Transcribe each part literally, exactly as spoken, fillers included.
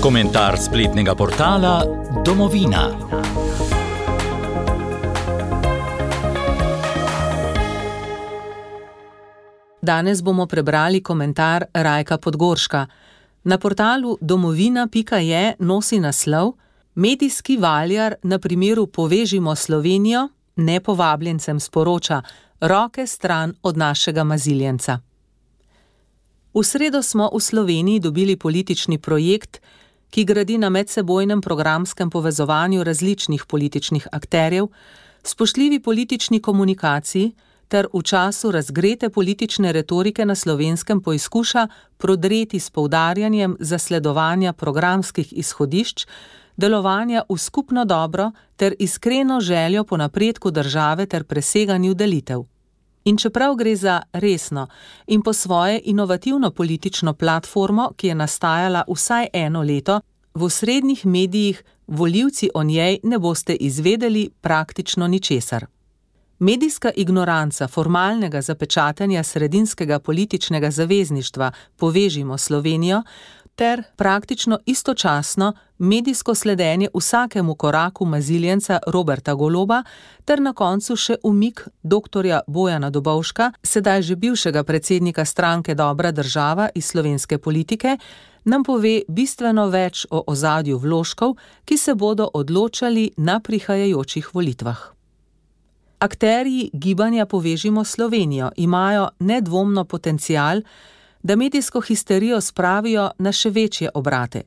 Komentar spletnega portala Domovina. Danes bomo prebrali komentar Rajka Podgorška. Na portalu domovina pika je nosi naslov Medijski valjar na primeru Povežimo Slovenijo nepovabljencem sporoča: roke stran od našega maziljenca. V sredo smo v Sloveniji dobili politični projekt, ki gradi na medsebojnem programskem povezovanju različnih političnih akterjev, spoštljivi politični komunikaciji ter v času razgrete politične retorike na Slovenskem poizkuša prodreti s poudarjanjem zasledovanja programskih izhodišč, delovanja v skupno dobro ter iskreno željo po napredku države ter preseganju delitev. In čeprav gre za resno in po svoje inovativno politično platformo, ki je nastajala vsaj eno leto, v osrednjih medijih volivci o njej ne boste izvedeli praktično ničesar. Medijska ignoranca formalnega zapečatanja sredinskega političnega zavezništva Povežimo Slovenijo ter praktično istočasno medijsko sledenje vsakemu koraku maziljenca Roberta Goloba ter na koncu še umik doktorja Bojana Dobovška, sedaj že bivšega predsednika stranke Dobra država iz slovenske politike, nam pove bistveno več o ozadju vložkov, ki se bodo odločali na prihajajočih volitvah. Akterji gibanja Povežimo Slovenijo imajo nedvomno potencial, da medijsko histerijo spravijo na še večje obrate.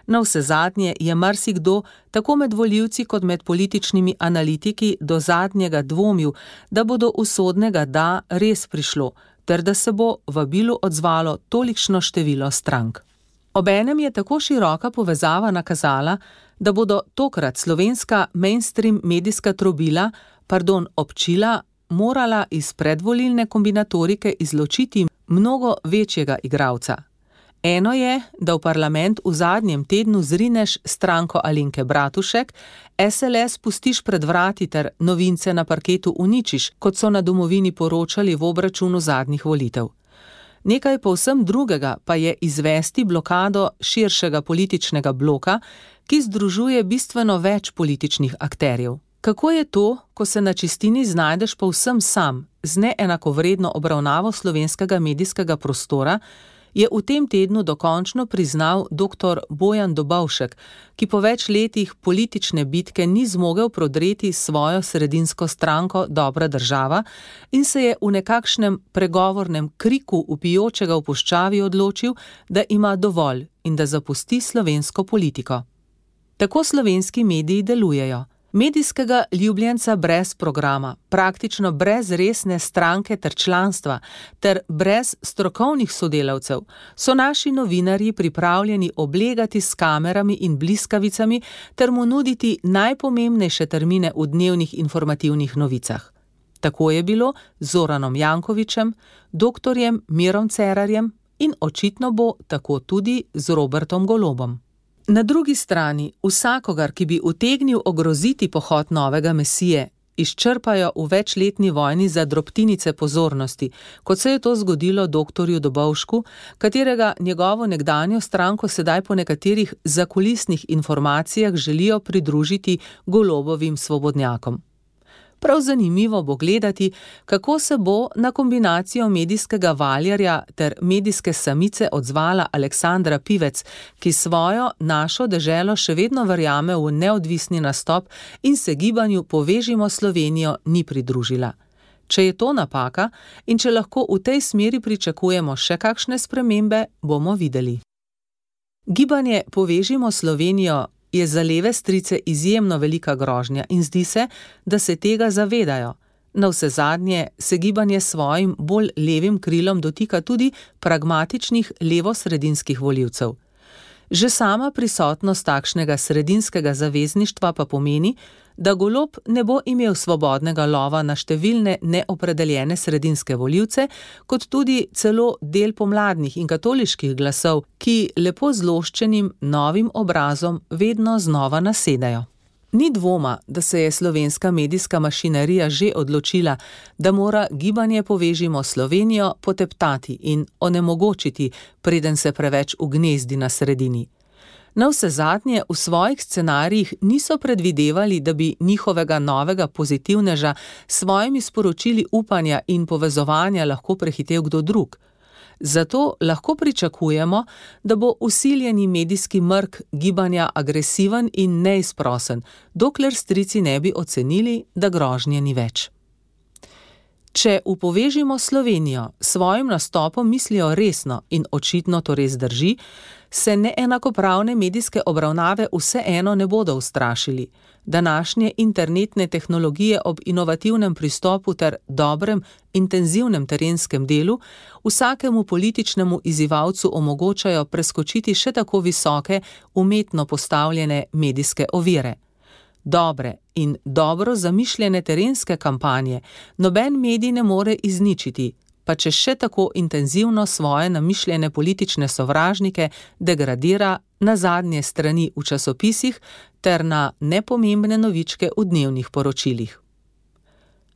Navsezadnje je marsikdo, tako med volivci kot med političnimi analitiki, do zadnjega dvomil, da bo do usodnega da res prišlo, ter da se bo vabilu odzvalo tolikšno število strank. Obenem je tako široka povezava nakazala, da bodo tokrat slovenska mainstream medijska trobila, pardon, občila, morala iz predvolilne kombinatorike izločiti mnogo večjega igralca. Eno je, da v parlament v zadnjem tednu zrineš stranko Alenke Bratušek, es el es pustiš pred vrati ter novince na parketu uničiš, kot so na domovini poročali v obračunu zadnjih volitev. Nekaj povsem drugega pa je izvesti blokado širšega političnega bloka, ki združuje bistveno več političnih akterjev. Kako je to, ko se na čistini znajdeš povsem sam, z neenakovredno obravnavo slovenskega medijskega prostora, je v tem tednu dokončno priznal doktor Bojan Dobovšek, ki po več letih politične bitke ni zmogel prodreti svojo sredinsko stranko Dobra država in se je v nekakšnem pregovornem kriku vpijočega v puščavi odločil, da ima dovolj in da zapusti slovensko politiko. Tako slovenski mediji delujejo. Medijskega ljubljenca brez programa, praktično brez resne stranke ter članstva, ter brez strokovnih sodelavcev, so naši novinarji pripravljeni oblegati s kamerami in bliskavicami ter mu nuditi najpomembnejše termine v dnevnih informativnih novicah. Tako je bilo z Zoranom Jankovićem, doktorjem Mirom Cerarjem in očitno bo tako tudi z Robertom Golobom. Na drugi strani, vsakogar, ki bi utegnil ogroziti pohod novega mesije, izčrpajo v večletni vojni za drobtinice pozornosti, kot se je to zgodilo doktorju Dobovšku, katerega njegovo nekdanjo stranko sedaj po nekaterih zakulisnih informacijah želijo pridružiti Golobovim svobodnjakom. Prav zanimivo bo gledati, kako se bo na kombinacijo medijskega valjarja ter medijske samice odzvala Aleksandra Pivec, ki svojo našo deželo še vedno verjame v neodvisni nastop in se gibanju Povežimo Slovenijo ni pridružila. Če je to napaka in če lahko v tej smeri pričakujemo še kakšne spremembe, bomo videli. Gibanje Povežimo Slovenijo je za leve strice izjemno velika grožnja in zdi se, da se tega zavedajo. Navsezadnje se gibanje svojim bolj levim krilom dotika tudi pragmatičnih levosredinskih volivcev. Že sama prisotnost takšnega sredinskega zavezništva pa pomeni, da Golob ne bo imel svobodnega lova na številne neopredeljene sredinske volivce, kot tudi celo del pomladnih in katoliških glasov, ki lepo zloščenim novim obrazom vedno znova nasedajo. Ni dvoma, da se je slovenska medijska mašinerija že odločila, da mora gibanje Povežimo Slovenijo poteptati in onemogočiti, preden se preveč ugnezdi na sredini. Navsezadnje v svojih scenarijih niso predvidevali, da bi njihovega novega pozitivneža s svojimi sporočili upanja in povezovanja lahko prehitel kdo drug. Zato lahko pričakujemo, da bo vsiljeni medijski mrk gibanja agresiven in neizprosen, dokler strici ne bi ocenili, da grožnje ni več. Če v Povežimo Slovenijo s svojim nastopom mislijo resno in očitno to res drži, se neenakopravne medijske obravnave vseeno ne bodo ustrašili. Današnje internetne tehnologije ob inovativnem pristopu ter dobrem, intenzivnem terenskem delu vsakemu političnemu izzivalcu omogočajo preskočiti še tako visoke, umetno postavljene medijske ovire. Dobre in dobro zamišljene terenske kampanje noben medij ne more izničiti, pa če še tako intenzivno svoje namišljene politične sovražnike degradira na zadnje strani v časopisih ter na nepomembne novičke v dnevnih poročilih.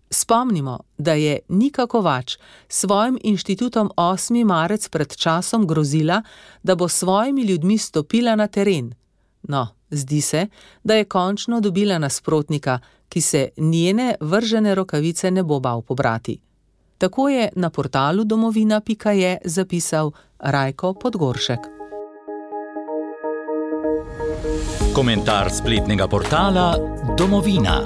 Spomnimo, da je Nika Kovač s svojim inštitutom osmi marec pred časom grozila, da bo s svojimi ljudmi stopila na teren. No, zdi se, da je končno dobila nasprotnika, ki se njene vržene rokavice ne bo bal pobrati. Tako je na portalu domovina pika je zapisal Rajko Podgoršek. Komentar spletnega portala Domovina.